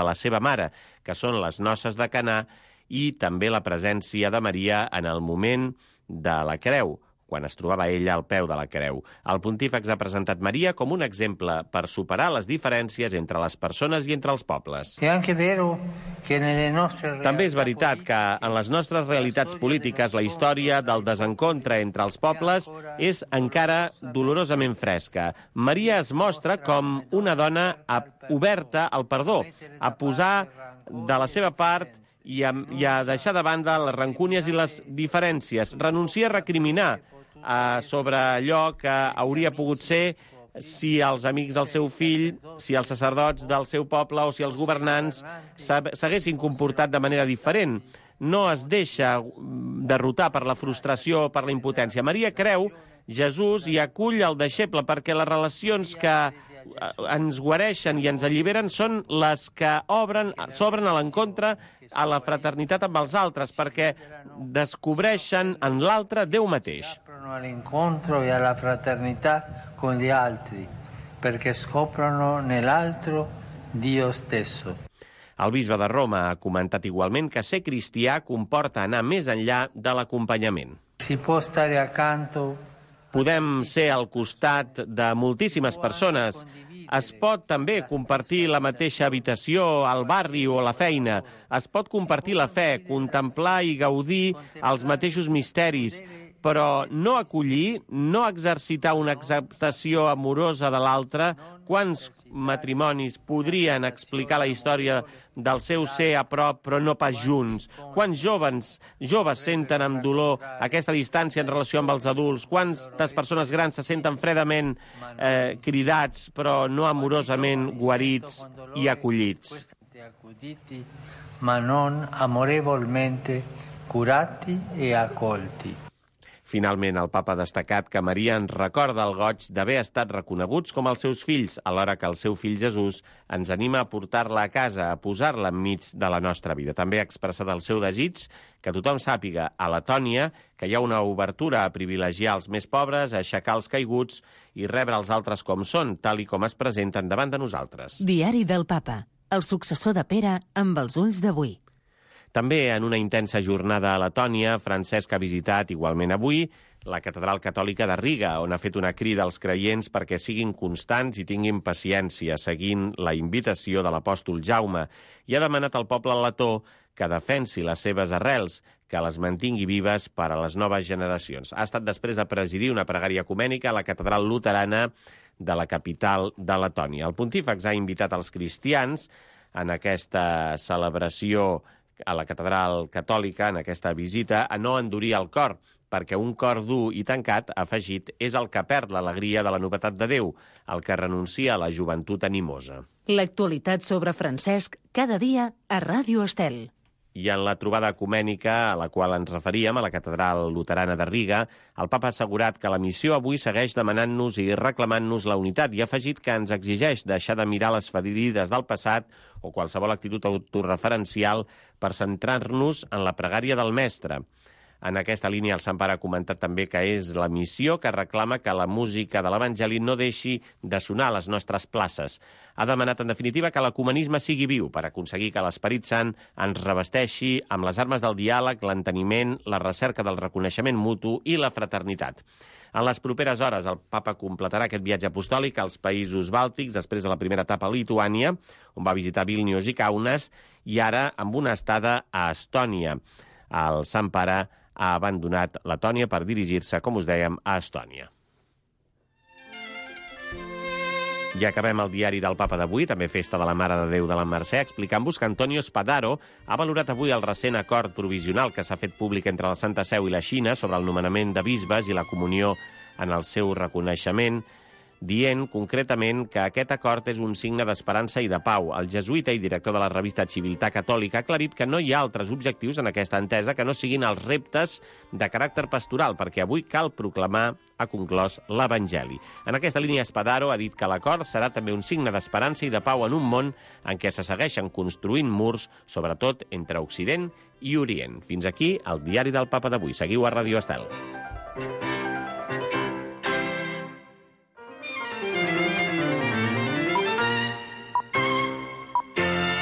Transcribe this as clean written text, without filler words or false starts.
la seva mare, que són les noces de Caná, i també la presència de Maria en el moment de la creu, quan es trobava ella al peu de la creu. El pontífex ha presentat Maria com un exemple per superar les diferències entre les persones i entre els pobles. També és veritat que en les nostres realitats polítiques la història del desencontre entre els pobles és encara dolorosament fresca. Maria es mostra com una dona oberta al perdó, a posar de la seva part i a deixar de banda les rancúnies i les diferències, renuncia a recriminar sobre allò que hauria pogut ser si els amics del seu fill, si els sacerdots del seu poble o si els governants s'haguessin comportat de manera diferent. No es deixa derrotar per la frustració o per la impotència. Maria creu Jesús i acull el deixeble perquè les relacions que ens guareixen i ens alliberen són les que s'obren a l'encontre a la fraternitat amb els altres, perquè descobreixen en l'altre Déu mateix. All'incontro e alla fraternità con gli altri, perché scoprono nell'altro Dio stesso. El bisbe de Roma ha comentat igualment que ser cristià comporta anar més enllà de l'acompanyament. Si può stare accanto. Podem ser al costat de moltíssimes persones. Es pot també compartir la mateixa habitació al barri o a la feina. Es pot compartir la fe, contemplar i gaudir els mateixos misteris, però no acollir, no exercitar una acceptació amorosa de l'altre. Quants matrimonis podrien explicar la història del seu ser a prop però no pas junts? Quants joves senten amb dolor aquesta distància en relació amb els adults? Quantes persones grans se senten fredament cridats però no amorosament guarits i acollits? Ma non amorevolmente curati e accolti. Finalment, el papa ha destacat que Maria ens recorda el goig d'haver estat reconeguts com els seus fills, alhora que el seu fill Jesús ens anima a portar-la a casa, a posar-la enmig de la nostra vida. També ha expressat el seu desig que tothom sàpiga a Letònia que hi ha una obertura a privilegiar els més pobres, a aixecar els caiguts i rebre els altres com són, tal i com es presenten davant de nosaltres. Diari del Papa, el successor de Pere amb els ulls d'avui. També en una intensa jornada a Letònia, Francesc ha visitat igualment avui la Catedral Catòlica de Riga, on ha fet una crida als creients perquè siguin constants i tinguin paciència, seguint la invitació de l'apòstol Jaume, i ha demanat al poble letó que defensi les seves arrels, que les mantingui vives per a les noves generacions. Ha estat després de presidir una pregària ecumènica a la Catedral Luterana de la capital de Letònia. El pontífex ha invitat als cristians en aquesta celebració a la Catedral Catòlica, en aquesta visita, a no endurir el cor, perquè un cor dur i tancat, ha afegit, és el que perd l'alegria de la novetat de Déu, el que renuncia a la joventut animosa. L'actualitat sobre Francesc cada dia a Ràdio Estel. I en la trobada ecumènica a la qual ens referíem, a la Catedral Luterana de Riga, el papa ha assegurat que la missió avui segueix demanant-nos i reclamant-nos la unitat i ha afegit que ens exigeix deixar de mirar les ferides del passat o qualsevol actitud autorreferencial per centrar-nos en la pregària del Mestre. En aquesta línia, el Sant Pare ha comentat també que és la missió que reclama que la música de l'Evangeli no deixi de sonar a les nostres places. Ha demanat, en definitiva, que l'ecumenisme sigui viu per aconseguir que l'Esperit Sant ens revesteixi amb les armes del diàleg, l'enteniment, la recerca del reconeixement mutu i la fraternitat. En les properes hores, el papa completarà aquest viatge apostòlic als països bàltics, després de la primera etapa a Lituània, on va visitar Vílnius i Kaunas, i ara amb una estada a Estònia. El Sant Pare ha abandonat Letònia per dirigir-se, com us dèiem, a Estònia. I acabem el diari del Papa d'avui, també festa de la Mare de Déu de la Mercè, explicant-vos que Antonio Spadaro ha valorat avui el recent acord provisional que s'ha fet públic entre la Santa Seu i la Xina sobre el nomenament de bisbes i la comunió en el seu reconeixement, dient concretament que aquest acord és un signe d'esperança i de pau. El jesuïta i director de la revista Civiltà Catòlica ha aclarit que no hi ha altres objectius en aquesta entesa que no siguin els reptes de caràcter pastoral, perquè avui cal proclamar, ha conclòs, l'Evangeli. En aquesta línia, Spadaro ha dit que l'acord serà també un signe d'esperança i de pau en un món en què se segueixen construint murs, sobretot entre Occident i Orient. Fins aquí el diari del Papa d'avui. Seguiu a Ràdio Estel.